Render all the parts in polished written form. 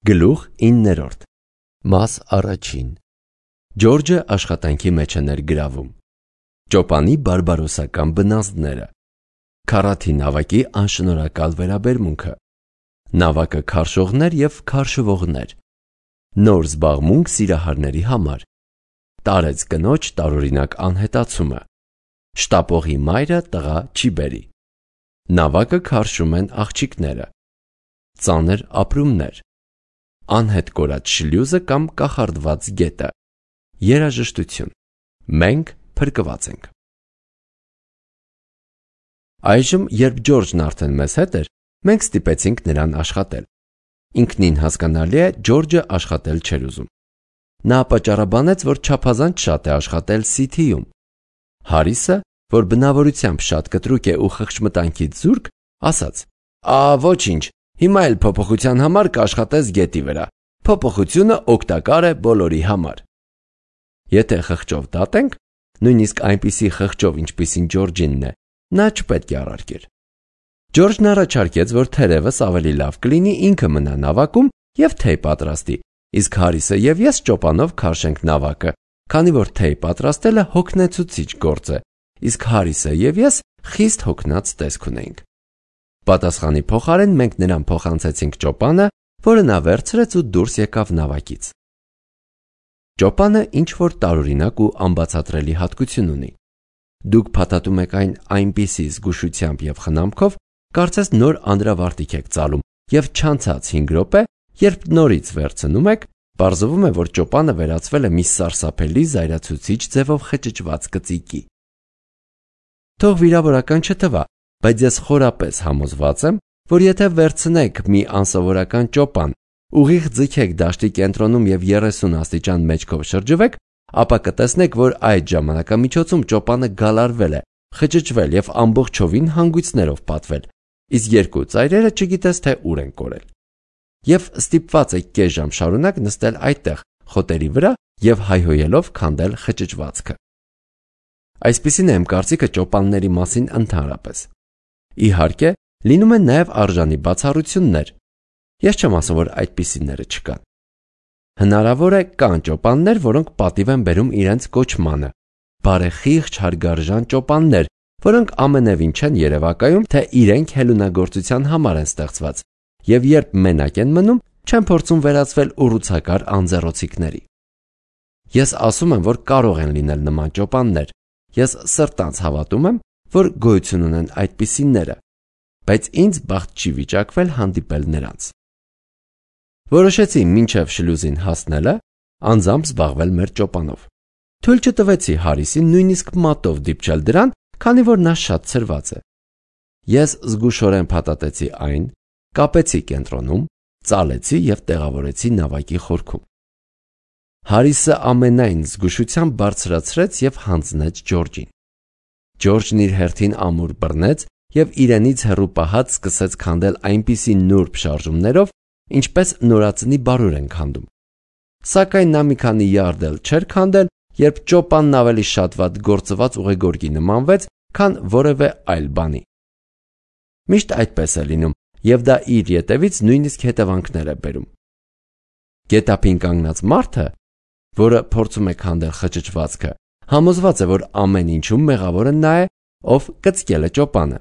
Գլուխ 9. Մաս առաջին. Ջորջը աշխատանքի մեջ է ներգրավում. Ճոպանի բարբարոսական բնազդները, քառաթի նավակի անշնորհակալ վերաբերմունքը, նավակը քարշողներ և քարշվողներ, նոր զբաղմունք սիրահարների համար, տարեց կնոջ տարօրինակ անհետացումը, շտապողի մայրը տղա չի բերի, նավակը քարշում են աղջիկները, ծանր ապրումներ, անհետ կորած շլյուզը կամ կախարդված գետը, երաժշտություն, մենք փրկված ենք։ Այժմ, երբ Ջորջն արդեն մեզ հետ էր, մենք ստիպեցինք նրան աշխատել։ Ինքնին հասկանալի է, Ջորջը աշխատել չէր ուզում։ Նա պատճառաբանեց, որ չափազանց շատ է աշխատել Սիթիում։ Հարիսը, որ բնավորությամբ շատ կտրուկ է ու խղճմտանքից զուրկ, ասաց. «Ոչինչ, հիմա էլ փոփոխության համար կաշխատես գետի վրա։ Փոփոխությունը օգտակար է բոլորի համար»։ Եթե խղճով դատենք, նույնիսկ այնպիսի խղճով, ինչպիսին Ջորջինն է, նա չպետք է առարկեր։ Ջորջն առաջարկեց, որ թերևս ավելի լավ կլինի ինքը մնա նավակում և թեյ պատրաստի, իսկ Հարիսը և ես ճոպանով քարշենք նավակը, քանի որ թեյ պատրաստելը հոգնեցուցիչ գործ է, իսկ Հարիսը և ես խիստ հոգնած տեսք ունեինք։ Պատասխանի փոխարեն մենք նրան փոխանցեցինք ճոպանը, որը նա վերցրեց ու դուրս եկավ նավակից։ Ճոպանը ինչ-որ տարօրինակ ու անբացատրելի հատկություն ունի։ Դուք փաթաթում եք այն այնպիսի զգուշությամբ և խնամքով, կարծես նոր անդրավարտիք եք ծալում, և չանցած 5 րոպե, երբ նորից վերցնում եք, պարզվում է, որ ճոպանը վերածվել է մի սարսափելի զայրացուցիչ ձևով խճճված կծիկի։ Թող վիրավորական չթվա, բայց ես խորապես համոզված եմ, որ եթե վերցնեք մի անսովորական ճոպան, ուղիղ ձգեք դաշտի կենտրոնում և 30 աստիճան մեջքով շրջվեք, ապա կտեսնեք, որ այդ ժամանակամիջոցում ճոպանը գալարվել է, խճճվել և ամբողջովին հանգույցներով պատվել, իսկ երկու ծայրերը չգիտես թե ուր են կորել։ Եվ ստիպված եք կես ժամ շարունակ նստել այդտեղ, խոտերի վրա և հայհոյելով քանդել խճճվածքը։ Այսպիսին է իմ կարծիքը ճոպանների մասին ընդհանրապես։ Իհարկե, լինում են նաև արժանի բացառություններ։ Ես չեմ ասում, որ այդպիսիները չկան։ Հնարավոր է կան ճոպաններ, որոնք պատիվ են բերում իրենց կոչմանը, բարեխիղճ հարգարժան ճոպաններ, որոնք ամենևին չեն երևակայում, թե իրենք հելունագործության համար են ստեղծված, և երբ մենակ են մնում, չեն փորձում վերածվել ուռուցակար անձեռոցիկների։ Ես ասում եմ, որ կարող են լինել նման ճոպաններ։ Ես սրտանց հավատում եմ, որ գոյություն ունեն այդպիսիները, բայց ինձ բախտ չի վիճակվել հանդիպել նրանց։ Որոշեցի մինչև շլյուզին հասնելը անձամբ զբաղվել մեր ճոպանով։ Թույլ չտվեցի Հարիսին նույնիսկ մատով դիպչել դրան, քանի որ նա շատ ցրված է։ Ես զգուշորեն փաթաթեցի այն, կապեցի կենտրոնում, ծալեցի և տեղավորեցի նավակի խորքում։ Հարիսը ամենայն զգուշությամբ բարձրացրեց և հանձնեց Ջորջին։ Ջորջն իր հերթին ամուր բռնեց և իրենից հեռու պահած սկսեց քանդել այնպիսի նուրբ շարժումներով, ինչպես նորածնի բարուր են քանդում։ Սակայն նա մի քանի յարդ էլ չէր քանդել, երբ ճոպանն ավելի շատ վատ գործված ուղեգորգի նմանվեց, քան որևէ այլ բանի։ Միշտ այդպես է լինում, և դա իր ետևից նույնիսկ հետևանքներ է բերում։ Գետափին կանգնած մարդը, որը փորձում է քանդել խճճվածքը, համոզված է, որ ամեն ինչում մեղավորը նա է, ով կծկել է ճոպանը,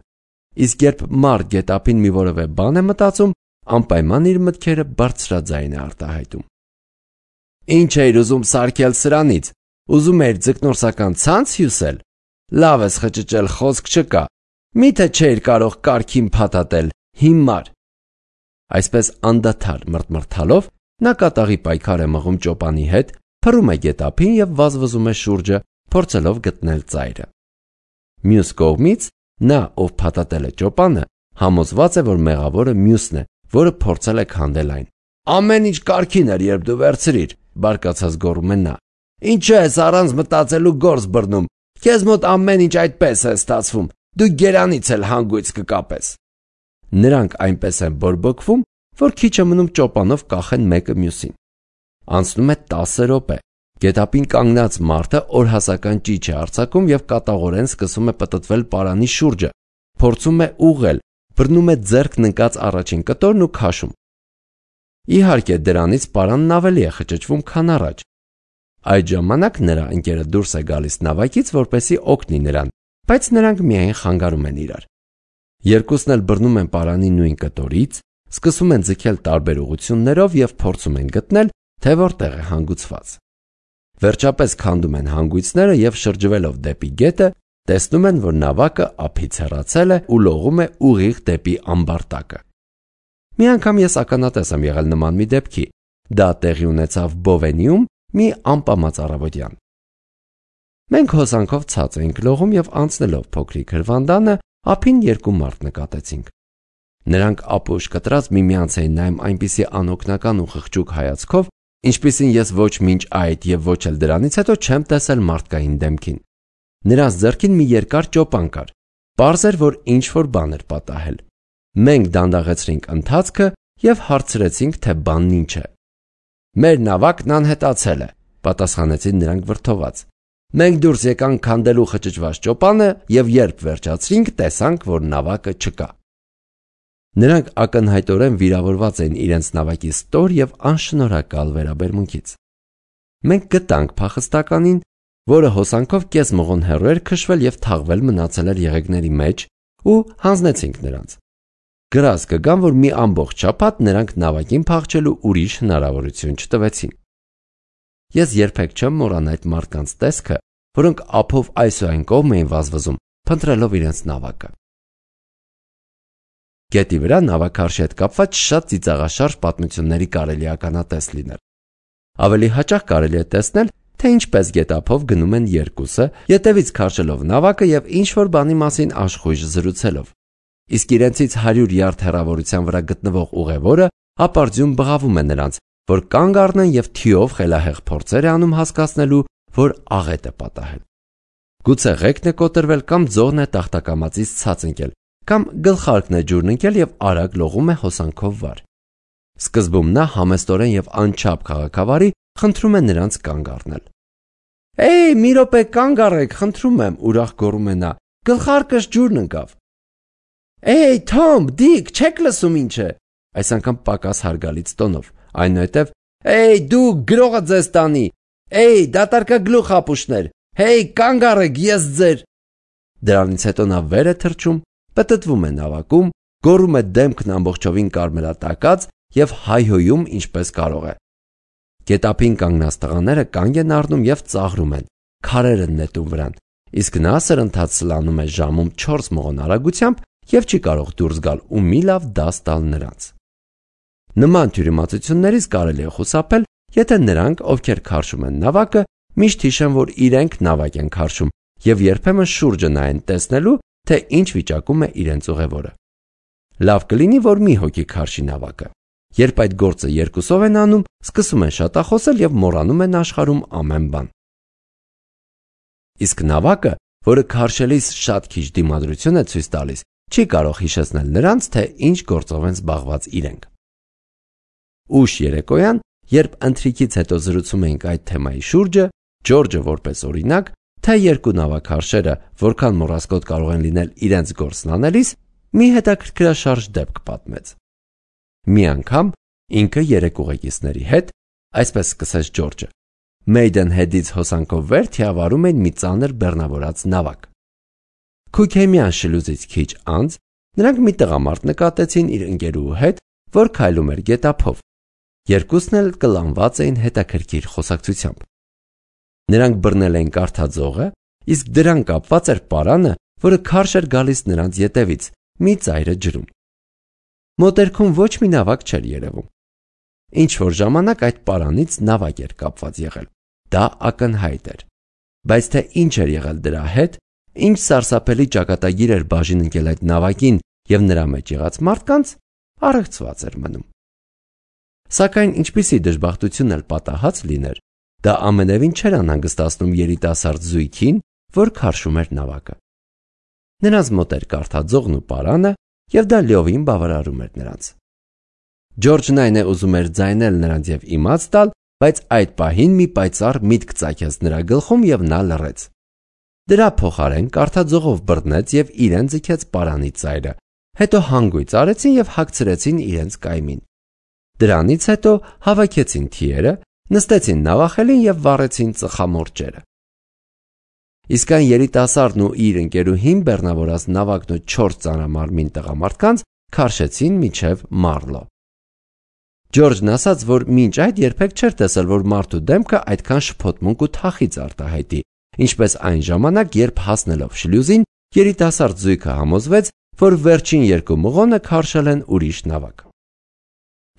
իսկ երբ մարդ գետափին մի որևէ բան է մտածում, անպայման իր մտքերը բարձրաձայն է արտահայտում։ Ինչ էիր ուզում սարքել սրանից, ուզում էիր ձկնորսական ցանց հյուսել, լավ ես խճճել, խոսք չկա, միթե չէիր կարող կարգին փաթաթել, հիմար։ Այսպես անդադար մռթմռթալով նա կատաղի պայքար է մղում ճոպանի հետ, փռում է գետափին և վազվզում է շուրջը, փորձելով գտնել ծայրը։ Մյուս կողմից նա, ով փաթաթել է ճոպանը, համոզված է, որ մեղավորը մյուսն է, որը փորձել է քանդել այն։ Ամեն ինչ կարգին էր, երբ դու վերցրիր, բարկացած գոռում է նա։ Ինչու ես առանց մտածելու գործ բռնում, քեզ մոտ ամեն ինչ այդպես է ստացվում, դու գերանից էլ հանգույց կկապես։ Նրանք այնպես են բորբոքվում, որ քիչ է մնում ճոպանով կախեն մեկը մյուսին։ Անցնում է 10 րոպե։ Գետափին կանգնած մարդը օրհասական ճիչ է արձակում և կատաղորեն սկսում է պտտվել պարանի շուրջը, փորձում է ուղղել, բռնում է ձեռքն ընկած առաջին կտորն ու քաշում։ Իհարկե դրանից պարանն ավելի է խճճվում, քան առաջ։ Այդ ժամանակ նրա ընկերը դուրս է գալիս նավակից, որպեսզի օգնի նրան, բայց նրանք միայն խանգարում են իրար։ Երկուսն էլ բռնում են պարանի նույն կտորից, սկսում են ձգել տարբեր ուղղություններով եւ փորձում են գտնել, թե որտեղ է հանգուցված։ Վերջապես քանդում են հանգույցները եւ շրջվելով դեպի գետը, տեսնում են, որ նավակը ափից հեռացել է ու լողում է ուղիղ դեպի ամբարտակը։ Մի անգամ ես ականատես եմ եղել նման մի դեպքի։ Դա տեղի ունեցավ Բովենիում մի անպամած առավոտյան։ Մենք հոսանքով ցած էինք լողում եւ անցնելով փոքրիկ հրվանդանը ափին երկու մարդ նկատեցինք։ Նրանք ապուշ կտրած միմյանց էին նայում այնպիսի անօգնական ու խղճուկ հայացքով, ինչպիսին ես ոչ մինչ այդ եւ ոչ էլ դրանից հետո չեմ տեսել մարդկային դեմքին։ Նրանց ձեռքին մի երկար ճոպան կար։ Պարզ էր, որ ինչ-որ բան էր պատահել։ Մենք դանդաղեցրինք ընթացքը եւ հարցրեցինք, թե բանն ինչ է։ Մեր նավակն անհետացել է, պատասխանեցին նրանք վրդոված։ Մենք դուրս եկանք քանդելու խճճված ճոպանը եւ երբ վերջացրինք, տեսանք, որ նավակը չկա։ Նրանք ակնհայտորեն վիրավորված էին իրենց նավակի ստոր եւ անշնորհակալ վերաբերմունքից։ Մենք գտանք փախստականին, որը հոսանքով կես մղոն հեռու էր քշվել եւ թաղվել մնացել էր եղեգների մեջ ու հանձնեցինք նրանց։ Գրած կգամ, որ մի ամբողջ շաբաթ նրանք նավակին փախչելու ուրիշ հնարավորություն չտվեցին։ Ես երբեք չեմ մոռանա այդ մարդկանց տեսքը, որոնք ափով այս ու այն կողմ էին վազվզում, փնտրելով իրենց նավակը։ Գետի վրա նավակարշի հետ կապված շատ ծիծաղաշարժ պատմությունների կարելի է ականատես լինել։ Ավելի հաճախ կարելի է տեսնել, թե ինչպես գետափով գնում են երկուսը, ետևից քաշելով նավակը եւ ինչ-որ բանի մասին աշխույժ զրուցելով։ Իսկ իրենցից 100 յարդ հեռավորության վրա գտնվող ուղևորը ապարդյուն բղավում է նրանց, որ կանգ առնեն եւ թիով խելահեղ փորձեր է անում հասկացնելու, որ աղետ է պատահել։ Գուցե ղեկն է կոտրվել կամ ձողն է տախտակամածից ցած ընկել, կամ գլխարկն է ջուրն ընկել եւ արագ լողում է հոսանքով վար։ Սկզբում նա համեստորեն եւ անչափ քաղաքավարի խնդրում է նրանց կանգ առնել։ «Էй, մի րոպե կանգ առեք, խնդրում եմ», ուրախ գոռում է նա։ «Գլխարկս ջուրն ընկավ»։ «Էй, Թոմ, Դիկ, չեք լսում ինչ է»։ Այս անգամ պակաս հարգալից տոնով, այնուհետև «Էй, դու գրողը ձեզ տանի, էй, դատարկագլուխ ապուշներ, հեյ, կանգ առեք, ես ձեր»։ Դրանից հետո նա վեր է թռչում, պտտվում է նավակում, գոռում է դեմքն ամբողջովին կարմրատակած եւ հայհոյում ինչպես կարող է։ Գետափին կանգնած տղաները կանգ են առնում եւ ծաղրում են, քարեր են նետում վրան, իսկ նա սրընթաց սլանում է ժամում 4 մղոն արագությամբ եւ չի կարող դուրս գալ ու մի լավ դաս տալ նրանց։ Նման թյուրիմացություններից կարելի է խուսափել, եթե նրանք, ովքեր քարշում են նավակը, միշտ հիշեն, որ իրենք նավակ են քարշում եւ երբեմն շուրջը նայեն տեսնելու, թե ինչ վիճակում է իրենց ուղևորը։ Լավ կլինի, որ մի հոգի քարշի նավակը։ Երբ այդ գործը երկուսով են անում, սկսում են շատախոսել եւ մոռանում են աշխարհում ամեն բան։ Իսկ նավակը, որը քարշելիս շատ քիչ դիմադրություն է ցույց տալիս, չի կարող հիշեցնել նրանց, թե ինչ գործով են զբաղված իրենք։ Ուշ երեկոյան, երբ ընթրիքից հետո զրուցում էինք այդ թեմայի շուրջը, Ջորջը որպես օրինակ, թե երկու նավակարշերը որքան մոռասկոտ կարող են լինել իրենց գործն անելիս, մի հետաքրքրաշարժ դեպք պատմեց։ Մի անգամ ինքը 3 ուղեկիցների հետ, այսպես սկսեց Ջորջը, Մեյդենհեդից հոսանքով վեր թիավարում էին մի ծանր բեռնավորած նավակ։ Քուքեմյան շլուզից քիչ անց նրանք մի տղամարդ նկատեցին իր ընկերուհու հետ, որ քայլում էր գետափով։ Երկուսն էլ կլանված էին հետաքրքիր խոսակցությամբ։ Նրանք բռնել էին կարթաձողը, իսկ դրան կապված էր պարանը, որը քարշ էր գալիս նրանց ետևից, մի ծայրը ջրում։ Մոտերքում ոչ մի նավակ չէր երևում։ Ինչ որ ժամանակ այդ պարանից նավակ էր կապված եղել։ Դա ակնհայտ էր։ Բայց թե ինչ էր եղել դրա հետ, ինչ սարսափելի ճակատագիր էր բաժին ընկել այդ նավակին եւ նրա մեջ եղած մարդկանց, առեղծված էր մնում։ Սակայն ինչպիսի դժբախտություն էլ պատահած լիներ, դա ամենևին չէր անհանգստացնում երիտասարդ զույգին, որ քարշում էր նավակը։ Նրանց մոտ էր կարթաձողն ու պարանը, եւ դա լիովին բավարարում էր նրանց։ Ջորջն այն է ուզում էր ձայնել նրանց եւ իմաց տալ, բայց այդ պահին մի պայծառ միտք ծագեց նրա գլխում եւ նա լռեց։ Դրա փոխարեն կարթաձողով բռնեց եւ իրեն ձգեց պարանի ծայրը, հետո հանգույց արեցին եւ հագցրեցին իրենց կայմին։ Դրանից հետո հավաքեցին թիերը, նստեցին նավախելին և վառեցին ծխամորճերը։ Իսկ այն երիտասարդն ու իր ընկերուհին բեռնավորած նավակն ու 4 ծանրամարմին տղամարդկանց քարշեցին մինչև Մարլո։ Ջորջն ասաց, որ մինչ այդ երբեք չէր տեսել, որ մարդու դեմքը այդքան շփոթմունք ու թախիծ արտահայտի, ինչպես այն ժամանակ, երբ հասնելով շլյուզին, երիտասարդ զույգը համոզվեց, որ վերջին 2 մղոնը քարշել են ուրիշ նավակ։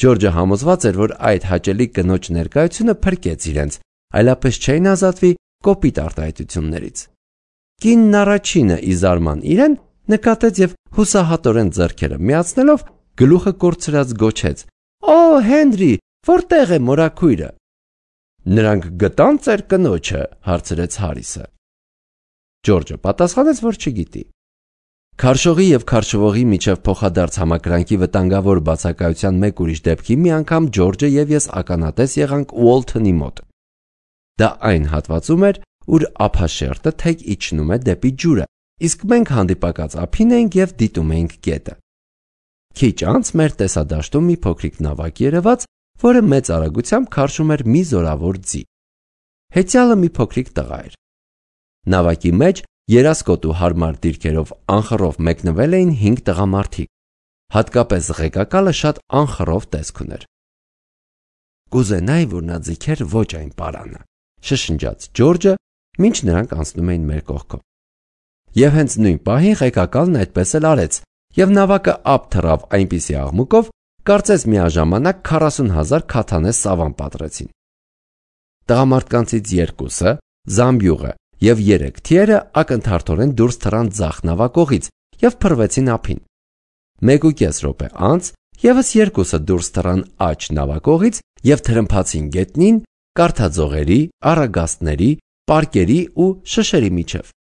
Ջորջը համոզված էր, որ այդ հաճելի կնոջ ներկայությունը փրկեց իրենց, այլապես չէին ազատվի կոպիտ արտահայտություններից։ Կինն առաջինը ի զարման իրեն նկատեց և հուսահատորեն ձեռքերը միացնելով գլուխը կորցրած գոչեց. «Օ, Հենրի, որտեղ է մորաքույրը»։ «Նրանք գտան ծեր կնոջը», հարցրեց Հարիսը։ Ջորջը պատասխանեց, որ չգիտի։ Քարշողի և քարշվողի միջև փոխադարձ համակրանքի վտանգավոր բացակայության մեկ ուրիշ դեպքի մի անգամ Ջորջը և ես ականատես եղանք Ուոլթոնի մոտ։ Դա այն հատվածում էր, ուր ափաշերտը թեք իջնում է դեպի ջուրը, իսկ մենք հանդիպակաց ափին էինք և դիտում էինք գետը։ Քիչ անց մեր տեսադաշտում մի փոքրիկ նավակ երևաց, որը մեծ արագությամբ քարշում էր մի զորավոր ձի։ Հեծյալը մի փոքրիկ տղա էր։ Նավակի մեջ երասկոտ ու հարմար դիրքերով անխռով մեկնվել էին 5 տղամարդիկ, հատկապես ղեկակալը շատ անխռով տեսք ուներ։ «Կուզենայի, որ նա ձգեր ոչ այն պարանը», շշնջաց Ջորջը, մինչ նրանք անցնում էին մեր կողքով։ Եվ հենց նույն պահին ղեկակալն այդպես էլ արեց, և նավակը ափ թռավ այնպիսի աղմուկով, կարծես միաժամանակ 40,000 քաթանե սավան պատռեցին։ Տղամարդկանցից 2-ը, Զամբյուղը և 3 թիերը ակնթարթորեն դուրս թռան ձախ նավակողից և փռվեցին ափին։ 1.5 րոպե անց ևս 2-ը դուրս թռան աջ նավակողից և թրմփացին գետնին, կարթաձողերի, առագաստների, պարկերի ու շշերի միջև։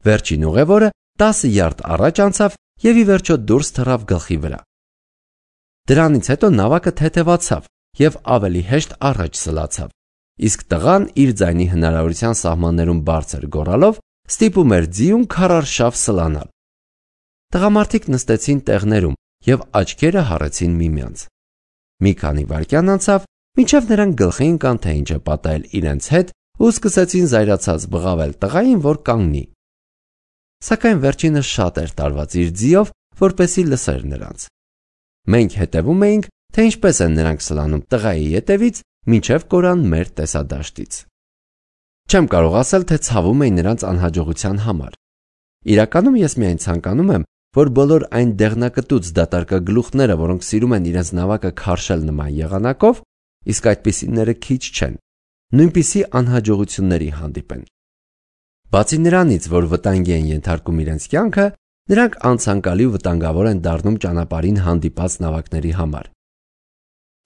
Վերջին ուղևորը 10 յարդ առաջ անցավ և ի վերջո դուրս թռավ գլխի վրա։ Դրանից հետո նավակը թեթևացավ և ավելի հեշտ առաջ սլացավ, իսկ տղան իր ձայնի հնարավորության սահմաններում բարձր գոռալով ստիպում էր ձիուն քարարշավ սլանալ։ Տղամարդիկ նստեցին տեղներում և աչքերը հառեցին միմյանց։ Մի քանի վայրկյան անցավ, մինչև նրանք գլխի ընկան, թե ինչ է պատահել իրենց հետ ու սկսեցին զայրացած բղավել տղային, որ կանգնի։ Սակայն վերջինը շատ էր տարված իր ձիով, որպեսզի լսեր նրանց։ Մենք հետևում էինք, թե ինչպես են նրանք սլանում տղայի ետևից, մինչև կորան մեր տեսադաշտից։ Չեմ կարող ասել, թե ցավում էի նրանց անհաջողության համար։ Իրականում ես միայն ցանկանում եմ, որ բոլոր այն դեղնակտուց դատարկագլուխները, որոնք սիրում են իրենց նավակը քարշել նման եղանակով, իսկ այդպիսիները քիչ չեն, նույնպիսի անհաջողությունների հանդիպեն։ Բացի նրանից, որ վտանգի են ենթարկում իրենց կյանքը, նրանք անցանկալի ու վտանգավոր են դառնում ճանապարհին հանդիպած նավակների համար։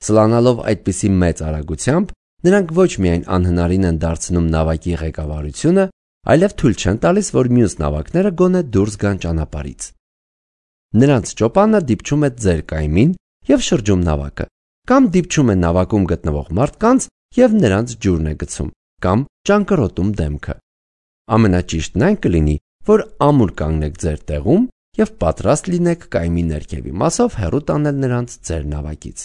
Սլանալով այդպիսի մեծ արագությամբ, նրանք ոչ միայն անհնարին են դարձնում նավակի ղեկավարությունը, այլև թույլ չեն տալիս, որ մյուս նավակները գոնե դուրս գան ճանապարհից։ Նրանց ճոպանը դիպչում է ձեր կայմին և շրջում նավակը, կամ դիպչում է նավակում գտնվող մարդկանց և նրանց ջուրն է գցում, կամ ճանկռոտում դեմքը։ Ամենաճիշտն այն կլինի, որ ամուր կանգնեք ձեր տեղում և պատրաստ լինեք կայմի ներքևի մասով հեռու տանել նրանց ձեր նավակից։